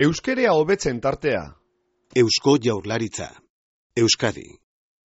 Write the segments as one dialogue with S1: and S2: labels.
S1: Euskerea hobetzen tartea.
S2: Eusko Jaurlaritza. Euskadi.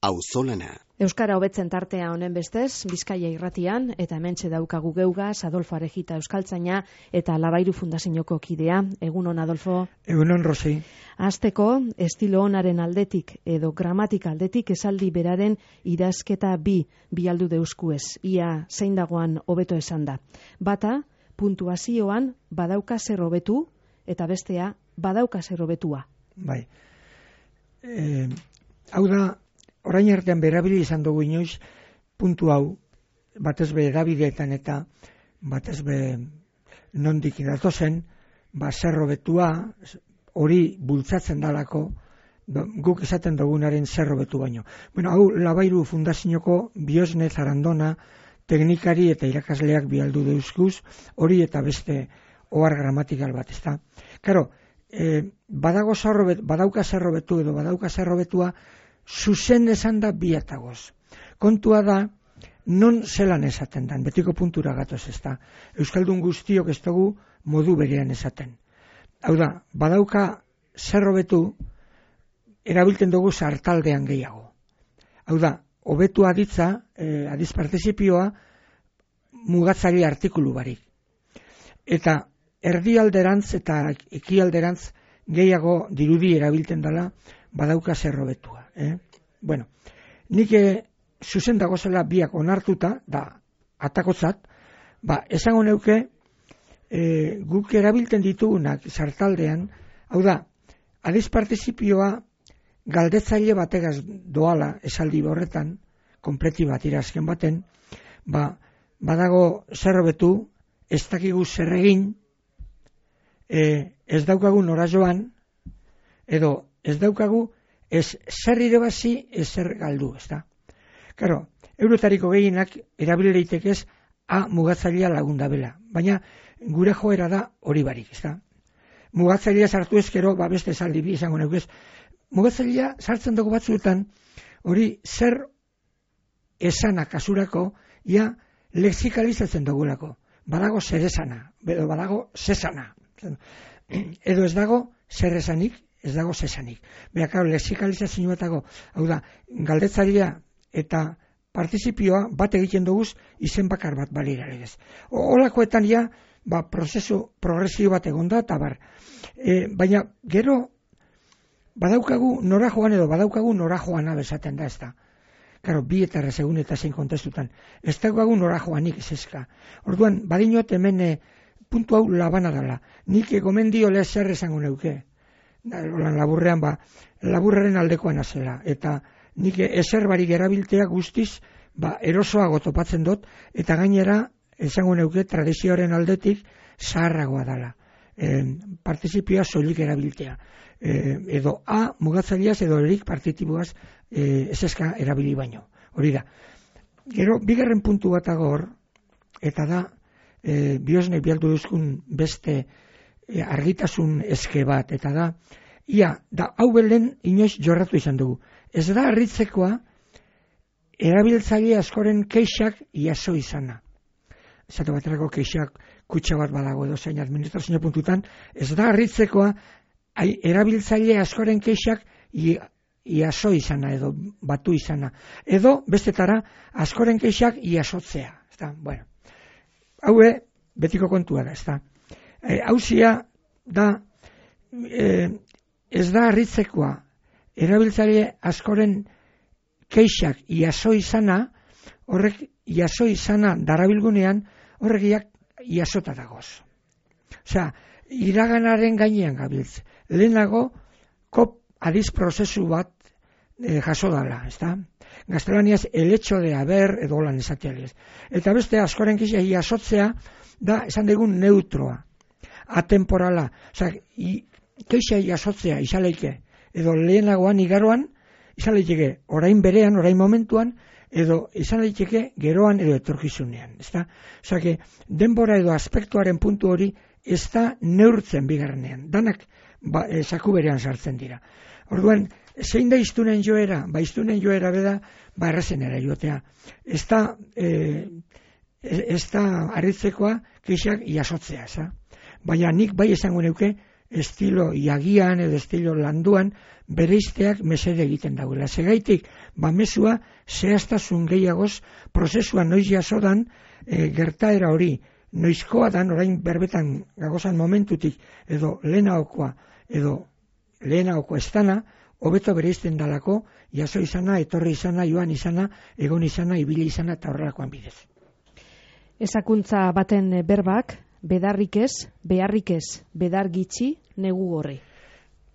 S2: Auzolana.
S3: Euskara hobetzen tartea honen bestez, Bizkaia irratian, eta hementxe daukagu geugaz, Adolfo Arejita euskaltzaina eta Labairu Fundazioko kidea. Egunon, Adolfo.
S4: Egunon, Rosi.
S3: Hasteko, estilo onaren aldetik edo gramatika aldetik esaldi beraren idazketa bi aldu deuskuez. Ia zein dagoan hobeto esan da. Bata, puntuazioan badauka zer hobetu, eta bestea badauka zer hobetua.
S4: Bai. Hau da, orain artean berabili izan dugu inoiz, puntu hau, batez be edabideetan eta batez be nondik datozen, zer hobetua, hori bultzatzen dalako, guk izaten dugunaren zer hobetu baino. Bueno, hau Labairu Fundazioko Biosne Zarandona, teknikari eta irakasleak bialdu deuzkuz, hori eta beste ohar gramatikal bat, ezta. Karo, badauka zer hobetu edo badauka zer hobetua, zuzen esan da biatagoz. Kontua da, non zelan esaten dan, betiko puntura gatoz ezta. Euskaldun guztiok ez dugu modu berean esaten. Hau da, badauka zer hobetu, erabiltzen dugu sartaldean gehiago. Hau da, hobetu aditza, adiz partizipioa, mugatzaile artikulu barik. Eta erdialderantz eta ekialderantz gehiago dirudi erabiltzen dela, badauka zer hobetua. Bueno, nik zuzen dagozela biak onartuta, da atakotzat, esango neuke guk erabiltzen ditugunak sartaldean, hau da, adiz partizipioa galdetzaile bategaz doala esaldi horretan, konpleti bat irazken baten, badago zer hobetu, ez dakigu zer egin, ez daukagu nora joan, edo ez daukagu ez zer irabazi, ez zer galdu, ez da. Karo, eurotariko gehienak erabilereitekez mugatzailea lagunda bela, baina gure joera da hori barik, ez da. Mugatzailea sartu ezkero, beste esaldi bi izango neukez, mugatzailea sartzen dugu batzuetan, hori zer esana kasurako, ia lexikalizatzen dugulako. Badago zer esana, edo badago zesana. Edo ez dago zer esanik, ez dago zesanik. Beha, karo, lexikalizazioetago, hau da, galdetzailea eta partizipioa bat egiten duguz izen bakar bat balira legez. Olakoetan ja, prozesu progresio bat egonda, eta bar. Baina, gero, badaukagu nora joan edo badaukagu nora joana bezaten da, ez da. Karo, bi eta errezegun eta zein kontestutan. Ez daukagu nora joanik ez ezka. Orduan, badinot hemen puntu hau labana dela. Nik gomendio lez zer esango neuke. Laburrean, laburraren aldekoan azela. Eta nik ezer barik erabiltea guztiz, erosoago topatzen dut, eta gainera, esango neuke, tradizioaren aldetik zaharragoa dela. Partizipioa soilik erabiltea. Edo mugatzaileaz edo erik partitiboaz ez eska erabili baino. Hori da. Gero, bigarren puntu bat agor, eta da, Biosne bialdu duzkun beste argitasun eske bat, eta da, hau belen inoiz jorratu izan dugu. Ez da harritzekoa erabiltzaile askoren keixak iaso izana. Esate baterako keixak kutxa bat badago edo zein administrazio puntutan, ez da harritzekoa erabiltzaile askoren keixak iaso izana edo batu izana. Edo, bestetara, askoren keixak iasotzea. Bueno, hau betiko kontua da, ez da. Hauzia da, ez da harritzekoa erabiltzaile askoren keixak iaso izana, horrek iaso izana darabilgunean, horregiak iasota dagoz. Osea, iraganaren gainean gabiltz. Lehenago, adiz prozesu bat jaso dala, ez da? Gaztelaniaz, el hecho de haber edo lan esatializ. Eta beste askoren keixak iasotzea da, esan dugun neutroa, atemporala. Osea, keixak iasotzea izaleike, edo lehenagoan igaroan, izaleike orain berean, orain momentuan, edo izan daiteke geroan edo etorkizunean. Osea, denbora edo aspektuaren puntu hori ez da neurtzen bigarrenean. Danak saku berean sartzen dira. Orduan, zein da iztunen joera? Iztunen joera beda, errazenera joatea. Ez da harritzekoa keixak iasotzea. Baina nik bai esango neuke, estilo iagian edo estilo landuan bereizteak mesede egiten dagoela. Segaitik, mesua zehaztasun gehiagoz prozesua noiz jasodan gertaera hori noizkoa dan orain berbetan gagozan momentutik edo lehenagokoa estana hobeto bereizten dalako jaso izana, etorri izana, joan izana, egon izana, ibili izana eta horrelakoan bidez.
S3: Ezakuntza baten berbak, bedarrik ez, beharrik ez, bedar gitxi, negu gorri.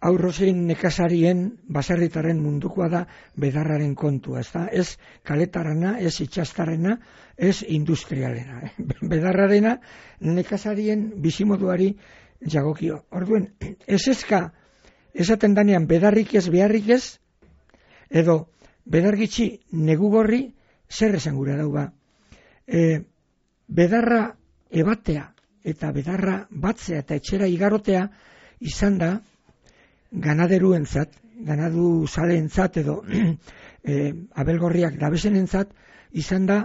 S4: Aurrozein nekazarien baserritarren mundukoa da bedarraren kontua, ez kaletarana, ez itxastarrena, ez industrialena. Bedarrarena nekazarien bizimoduari jagokio. Orduen, esaten danean bedarrik ez, beharrik ez, edo bedargitxi negu gorri, zer esan gura dau ba. Bedarra ebatea eta bedarra batzea eta etxera igarotea izan da ganaderuentzat, ganadu zaleentzat edo abelgorriak dabezenentzat izan da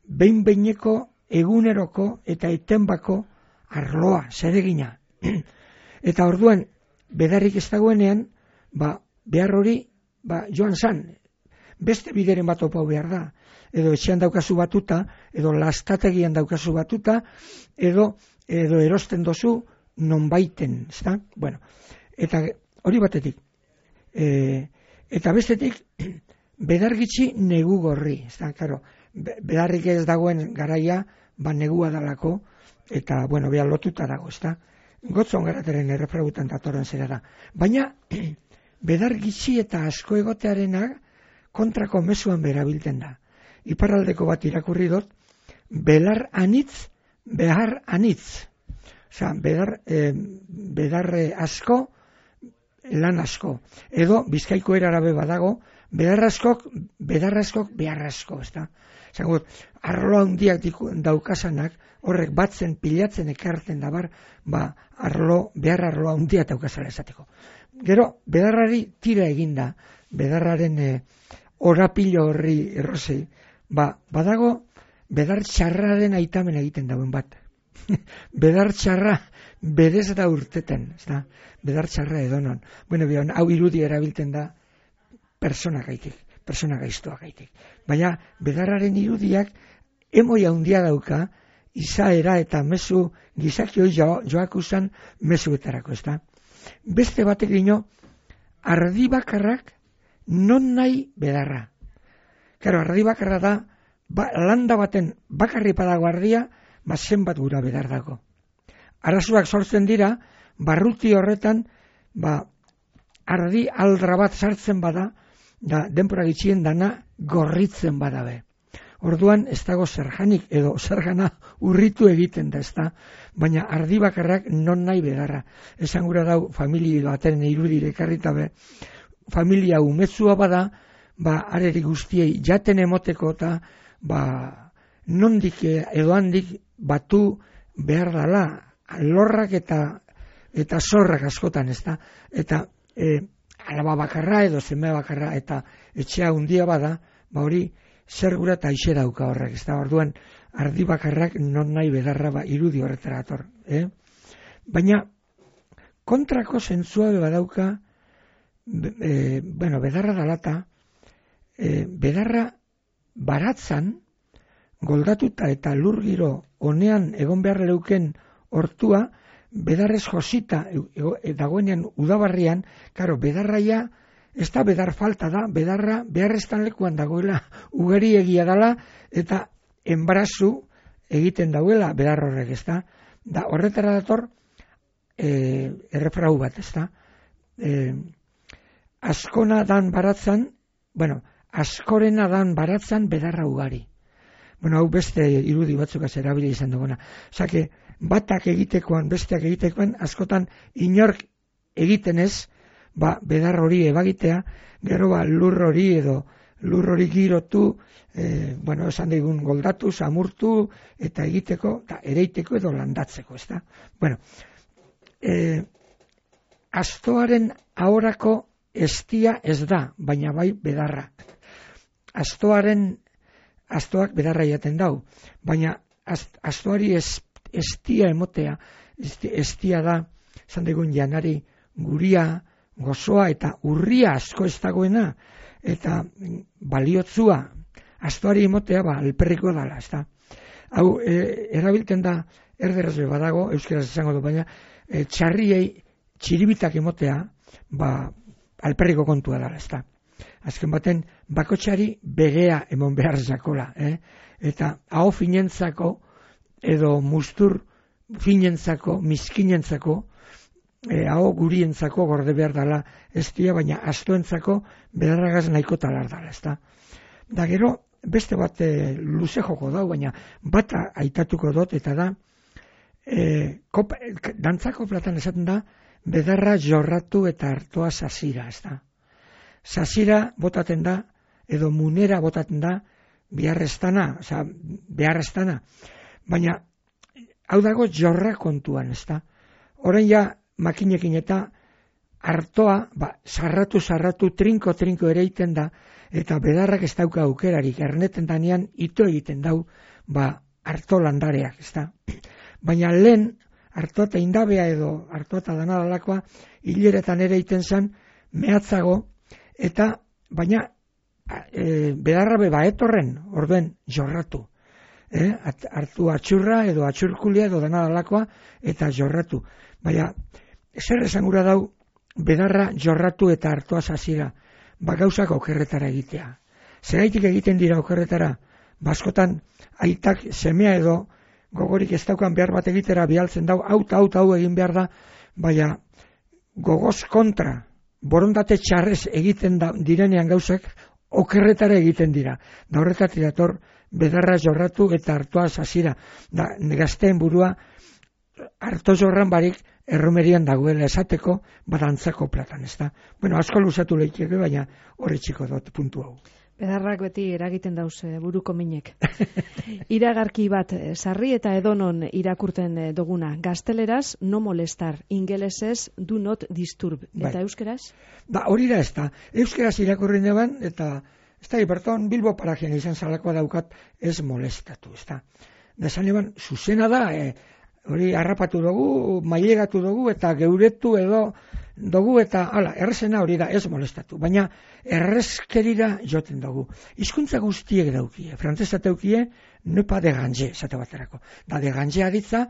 S4: behin-behineko eguneroko eta etenbako arloa, zeregina. Eta orduan, bedarrik ez dagoenean, behar hori joan zan, beste bideren bat opau behar da, edo etxean daukazu batuta, edo lastategian daukazu batuta, edo erosten dozu non baiten, ezta? Bueno, eta hori batetik. Eta bestetik, bedargitxi negu gorri, ezta? Claro, bedarrik ez dagoen garaia, negua dalako, eta, bueno, behar lotuta dago, ezta? Gotzon garateren errefragutan datorren zera da. Baina, bedargitxi eta asko egotearenak kontrako mezuan berabilten da. Iparraldeko bat irakurri dut, belar anitz, behar anitz. Osa, bedarre asko, lan asko. Edo, Bizkaiko erarabe badago, bedar askok, behar asko, ez da? Zagut, arlo handiak daukasanak, horrek batzen, pilatzen, ekartzen dabar, behar arlo handia daukasala esateko. Gero, bedarrari tira eginda, bedarraren orapilo horri errozei, badago, bedar txarraren aitamen egiten dauen bat. Bedar txarra berez da urteten, ez da? Bedar txarra edonon. Bueno, hau irudi erabiltzen da persona gaiztoa gaitik. Baina, bedarraren irudiak emoi handia dauka, izaera eta mezu gizakioi joakusan mezuetarako, ez da? Beste batek dino, ardi bakarrak non nahi bedarra. Karo, ardi bakarra da, landa baten bakarri padago ardia, zenbat gura bedar dago. Arazoak sortzen dira, barruti horretan, ardi aldra bat sartzen bada, da denpora gitxien dana gorritzen badabe. Orduan ez dago zerjanik edo zergana urritu egiten da, ezta? Baina ardi bakarrak non nahi bedarra. Esan gura dau familia baten irudire karritabe, familia umezua bada, areri guztiei jaten emoteko eta nondik edo handik batu behar dala lorrak eta zorrak askotan, ezta? Eta alaba bakarra edo zeme bakarra eta etxea hundia bada, hori zer gura eta aixe dauka horrek, ezta? Orduan ardi bakarrak non nahi bedarra irudi horretara ator. Baina kontrako zentzua badauka, bedarra dalata, bedarra baratzan, goldatuta eta lur giro honean egon behar leuken hortua, bedarrez josita dagoenean udabarrian, karo, bedarraia, ez da bedar falta da, bedarra beharreztan lekuan dagoela, ugari egia dala, eta enbarazu egiten dauela bedar horrek, ez da? Da, horretara dator, errefrau bat, ez da? Askona dan baratzan, askorena dan baratzan bedarra ugari. Hau beste irudi batzuk erabili izan duguna. Osake, batak egitekoan, besteak egitekoan, askotan inork egiten ez, bedar hori ebagitea, gero lur hori edo lur hori girotu, esan digun goldatu, samurtu, eta egiteko, eta ereiteko edo landatzeko, ez da? Astoaren ahorako estia ez da, baina bai bedarra. Astoak bedarra jaten dau, baina astoari estia emotea, estia da zan degun janari guria, gozoa eta urria asko ez dagoena, eta baliotzua, astuari imotea, alperriko dala, ez da. Hau, erabilten da, erderaz badago, euskeraz esango du, baina, txarriei txiribitak imotea, alperriko kontua dala, ez da. Azken baten, bakotxari begea emon behar zakola, eta hau finentzako, edo mustur finentzako, miskinentzako, hau gurientzako gorde behar dala ez dia, baina astoentzako bedarragaz nahiko talar dala, ez da. Da gero, beste bat luze joko dau, baina bat aitatuko dut, eta da, dantzako platan esaten da, bedarra jorratu eta hartoa sasira, ez da. Sasira botaten da, edo munera botaten da, beharreztana, baina hau dago jorra kontuan, ez da. Orain ja, makinekin eta hartoa, sarratu, trinko ere egiten da, eta bedarrak ez dauka aukerarik, erneten danean ito egiten dau, harto landareak, ez da. Baina lehen, hartoa eta indabea edo hartoa eta danadalakoa, hileretan ere egiten zen, mehatzago, eta baina bedarra etorren, orduen jorratu. Hartu atxurra edo atxurkulia edo danadalakoa, eta jorratu. Baina, zer esan gura dau, bedarra jorratu eta hartoa sasira, gauzak okerretara egitea. Zeraitik egiten dira okerretara, baskotan aitak semea edo gogorik ez daukan behar bat egitera bialtzen dau, hau egin behar da, baina gogoz kontra, borondate txarrez egiten direnean gauzak okerretara egiten dira. Da horretatik dator bedarra jorratu eta hartoa sasira. Da gazteen burua harto jorran barik erromerian dagoela esateko badantzako platan, ez da. Bueno, asko luzatu lehieke, baina hori txiko dut puntu hau.
S3: Bedarrak beti eragiten dauz buruko minek. Iragarki bat, sarri eta edonon irakurten duguna. Gazteleraz, no molestar, ingelesez, do not disturb. Eta euskeraz?
S4: Hori da ez da. Euskeraz irakurri neban, eta ez da, Iberton, Bilbo parajean izan zalakoa daukat, ez molestatu, ez da. Da esan eban, zuzena da, hori harrapatu dugu, mailegatu dugu, eta geuretu edo dugu, eta errezena hori da, ez molestatu. Baina errezkerira joten dugu. Hizkuntza guztiek daukie, frantzesa daukie, nepa de ganje, zate baterako. Da de ganje aditza,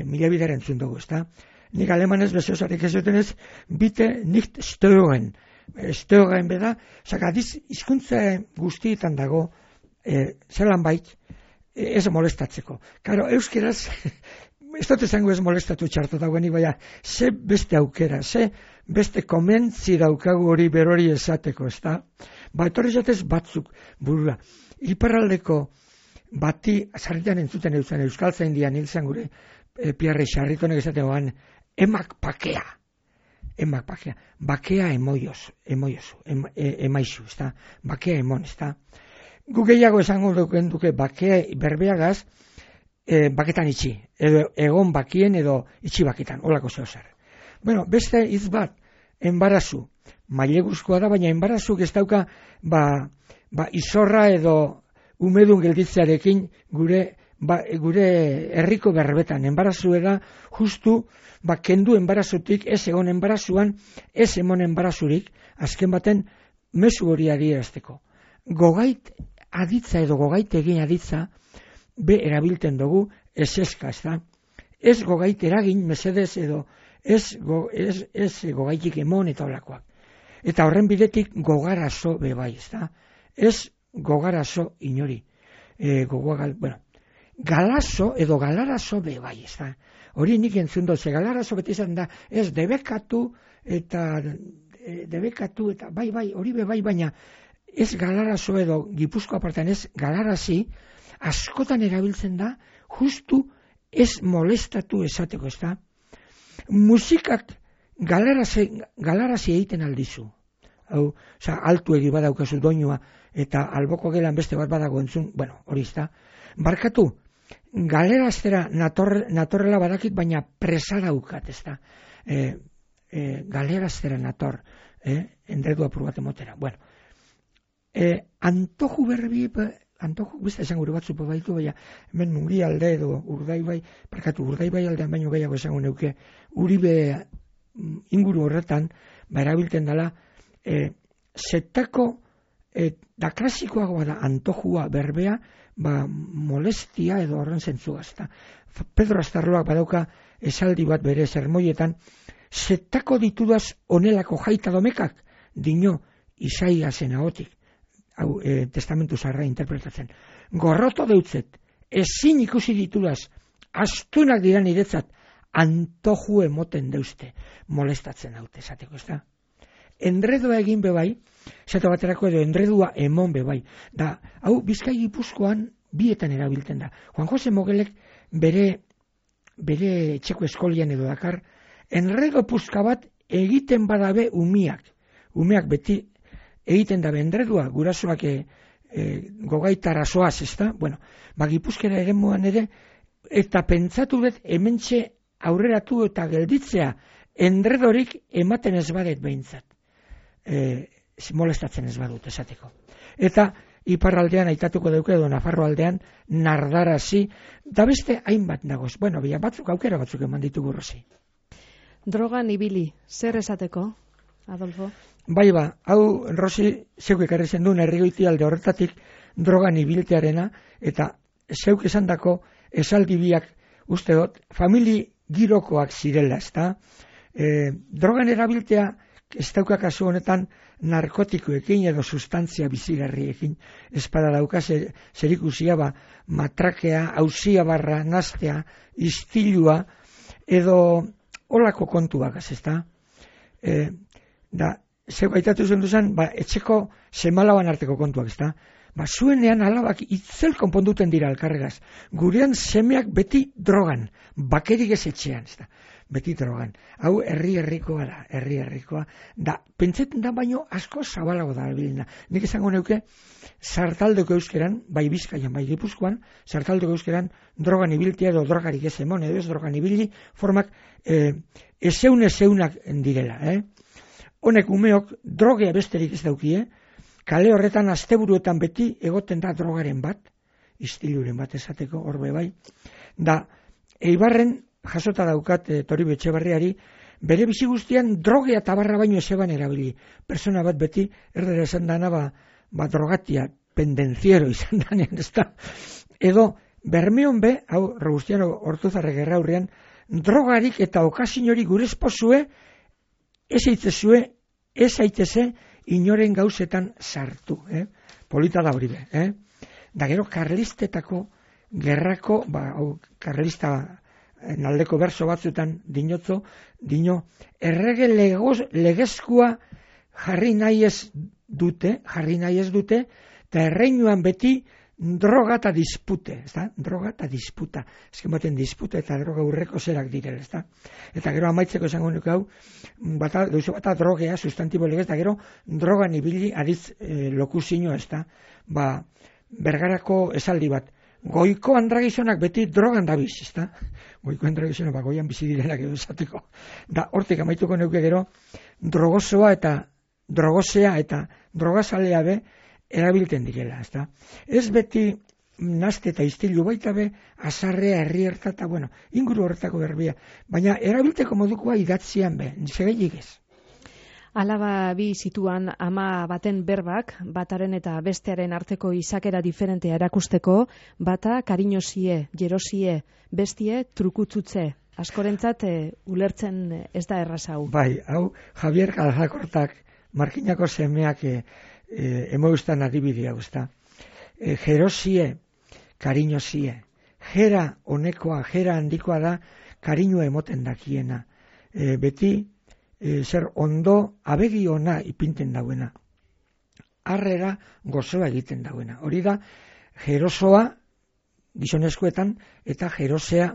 S4: mila bideren entzun dugu, ez da. Nik alemanez bezosarik ez joten ez, bite nicht stören. Stören beda, zaka hizkuntza guztietan dago, zelan bait, ez molestatzeko. Karo, euskeraz, ez dut esango ez molestatu txartu dagoenik, baina ze beste aukera, ze beste komentzi daukagu hori berori esateko, ez da? Etorri jatez batzuk burura. Iparraldeko bati, sarritan entzuten eutzen euskaltzain dian hilzen gure piarri sarritonek esaten goan, emak pakea. Bakea emaizu, ez da? Bakea emon, ez da? Gu gehiago esango duke bakea berbeagaz, baketan itxi, edo egon bakien edo itxi baketan, holako zehozer. Bueno, beste hitz bat, enbarazu, maileguzkoa da, baina enbarazuk ez dauka, izorra edo umedun gelditzearekin gure herriko berbetan. Enbarazu da, justu, kendu enbarazutik, ez egon enbarazuan, ez emon enbarazurik, azken baten, mezu hori adierazteko. Gogait aditza edo gogait egin aditza, be erabilten dugu eseska, ez da. Ez gogait eragin, mesedez edo ez gogaitik emon eta olakoak. Eta horren bidetik gogarazo bebai, ez da. Ez gogarazo inori. Galazo edo galarazo bebai, ez da. Hori nik entzun dut, galarazo beti izan da, ez debekatu eta bai, hori bebai, baina ez galarazo edo Gipuzkoa partean ez galarazi, askotan erabiltzen da, justu ez molestatu esateko, ez da. Musikak galarazi egiten aldizu. Hau, altu egi badaukazu doinua, eta alboko gelan beste bat badago entzun, hori ez da. Barkatu, galeraztera natorrela badakit, baina presa daukat, ez da. Galeraztera nator, endedu apur bat emotera. Antoju berbi, antoju, beste esan gure batzu baitu, baina hemen Mungialde edo Urdaibai aldean baino gehiago esango neuke, Uribe inguru horretan, erabiltzen dela, zetako, da klasikoagoa da antojua berbea, molestia edo horren zentzua. Pedro Astarloak badauka esaldi bat bere sermoietan, zetako ditudaz onelako jaita domekak, dino Isaiasen ahotik, testamentu zarra interpretatzen. Gorroto deutzet, ezin ikusi ditudaz, astunak dira niretzat, antoju emoten deuzte, molestatzen haute, esateko, ez da? Endredua egin bebai, zeta baterako edo endredua emon bebai. Da, hau Bizkai Gipuzkoan bietan erabiltzen da. Juan Jose Mogelek bere etxeko eskolian edo dakar, enredo puska bat egiten badabe umiak. Umeak beti egiten dabe endredua, gurasoak gogaitara soaz, ez da? Bueno, Gipuzkera eremuan ere, eta pentsatu dut hementxe aurreratu eta gelditzea endredorik ematen ez badet behintzat. Molestatzen ez badut esateko. Eta iparraldean aitatuko dauke edo Nafarro aldean nardarazi, da beste hainbat nagoz. Bueno, aukera batzuk eman ditugu Rosi.
S3: Drogan ibili, zer esateko, Adolfo?
S4: Bai hau Rosi zeuk ekarri zenduen herrigoiti alde horretatik drogan ibiltearena, eta zeuk esandako esaldi biak uste dut, famili girokoak zirela, ezta? Drogan erabiltea ez dauka kasu honetan narkotikoekin edo sustantzia bizigarriekin espada dauka zerikusia matrakea, auzia barra, nastea, istilua edo olako kontuak, ezta? Zeu gaitatu zen duzan, etxeko semalaban arteko kontuak, ezta? Zuenean alabak itzel konponduten dira elkarregaz. Gurean semeak beti drogan, bakerik ez etxean, ezta? Beti drogan. Hau herri-herrikoa da, herri-herrikoa. Da, pentsetan da baino asko zabalago da bilina. Nik esango neuke, sartaldeko euskeran, bai Bizkaian, bai Gipuzkoan, sartaldeko euskeran drogan ibiltia edo drogarik ez emon, edo ez drogan ibili, formak ezeunak direla. Honek umeok drogea besterik ez daukie, kale horretan asteburuetan beti egoten da drogaren bat, istiluren bat esateko, horbe bai. Da, Eibarren, jasota daukat Toribe Etxebarriari, bere bizi guztian drogea tabarra baino ezeban erabili. Persona bat beti, erdera esan dana, drogatia, pendenciero izan danean, ez da. Edo, Bermeon be, hau, Robustiano Ortuzarre Gerraurrean, drogarik eta okasinori gure esposue, ez aiteze inoren gauzetan sartu. Polita da hori be. Da gero, karlistetako gerrako, karlista naldeko berso batzutan dino, errege legezkua jarri nahi ez dute, eta erreinuan beti droga eta dispute, droga eta disputa. Ezken baten disputa eta droga urreko zerak direla, ezta? Eta gero amaitzeko esango nuke hau, duzu bata drogea, sustantibo legez, eta gero drogan ibili aditz lokuzino, ezta? Bergarako esaldi bat, goiko andragizonak beti drogan dabiz, ezta? Goiko andragizonak goian bizi direnak edo esateko. Da, hortik amaituko neuke gero, drogosea eta drogazalea be erabilten direla, ezta? Ez beti naste eta istilu baita be, azarrea, herrierta eta, inguru horretako berbia. Baina erabilteko modukoa idatzian be, segeilik ez.
S3: Alaba bi zituan ama baten berbak, bataren eta bestearen arteko izakera diferentea erakusteko, bata kariñosie, jerosie, bestie trukutzutze. Askorentzat ulertzen ez da erraza hau.
S4: Bai, hau Javier Calzakortak, Markinako semeak emoeustan adibidea guzta. Jerosie, kariñosie. Jera honekoa, jera handikoa da, kariñoa emoten dakiena. Beti, zer ondo abegi ona ipinten dauena. Harrera gozoa egiten dauena. Hori da, jerosoa gizonezkoetan eta jerosea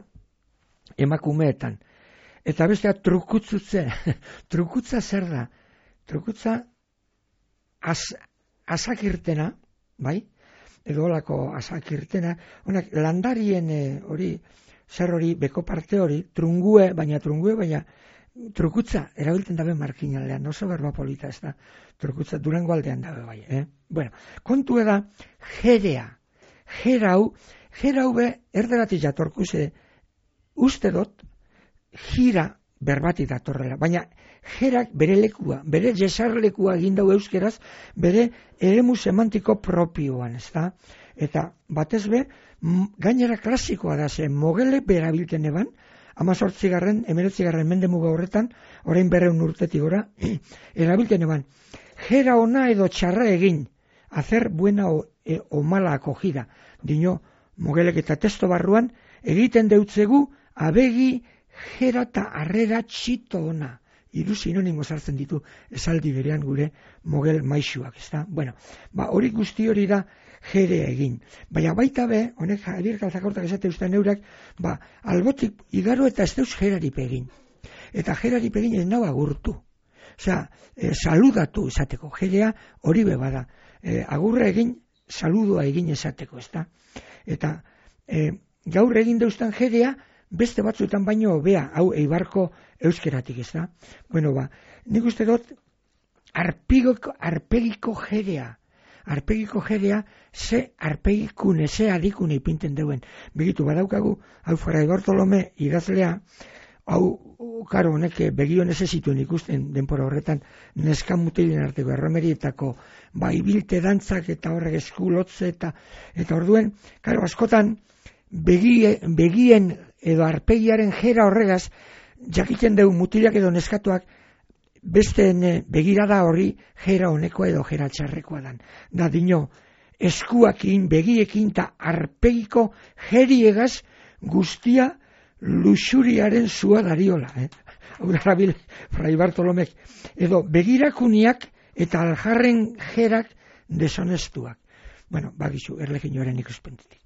S4: emakumeetan. Eta bestea trukutzutze. Trukutza zer da? Trukutza azakirtena, bai? Edo holako azakirtena. Honak landarien hori, zer hori, beko parte hori, trungue, baina trukutza, erabiltzen dabe Markinaldean, oso berba polita ez da, trukutza Durango aldean dabe bai, Bueno, kontu da, jerea, jera hau be, erderatik jatorku ze, uste dut, jira berbati datorrela, baina jerak bere lekua, bere jesarlekua egindau euskeraz, bere eremu semantiko propioan, ez da? Eta batez be, gainera klasikoa da, ze mogele berabilten eban, 19. mende muga horretan, orain 200 urtetik gora, erabilten eban, jera ona edo txarra egin, hacer buena o mala acogida, dino, mogelek eta testo barruan, egiten deutzegu, abegi, jera eta arrera txito ona. 3 sinonimo sartzen ditu esaldi berean gure mogel maisuak, ezta? Bueno, hori guzti hori da jere egin. Baina baita be, honek Javier Calzacortak esate ustean eurak, albotik igaro eta ez deuz jerari pegin. Eta jerari pegin ez nau agurtu. Osea, saludatu esateko. Jerea hori be bada. Agurra egin, saludua egin esateko, ezta? Eta gaur egin deustan jerea, beste batzuetan baino hobea, hau eibarko euskeratik, ez da? Bueno, nik uste dut, arpegiko jerea, ze arpegikune, ze adikune ipinten deuen. Begitu, badaukagu, hau Fray Bartolome idazlea, hau, karo, honek begionez ez zituen ikusten denpora horretan, neskamutilien arteko erromerietako, ibilte dantzak eta horrek eskulotze eta orduen, karo, askotan, begien edo arpegiaren jera horregaz, jakiten deu mutilak edo neskatuak, besteen begirada hori jera honekoa edo jera txarrekoa dan. Da dino, eskuakin, begiekin eta arpegiko jeriegaz guztia luxuriaren zua dariola. Hau da rabil, Fray Bartolomek. Edo begirakuniak eta aljarren jerak desonestuak. Bueno, bagizu, erleginoaren ikuspentetik.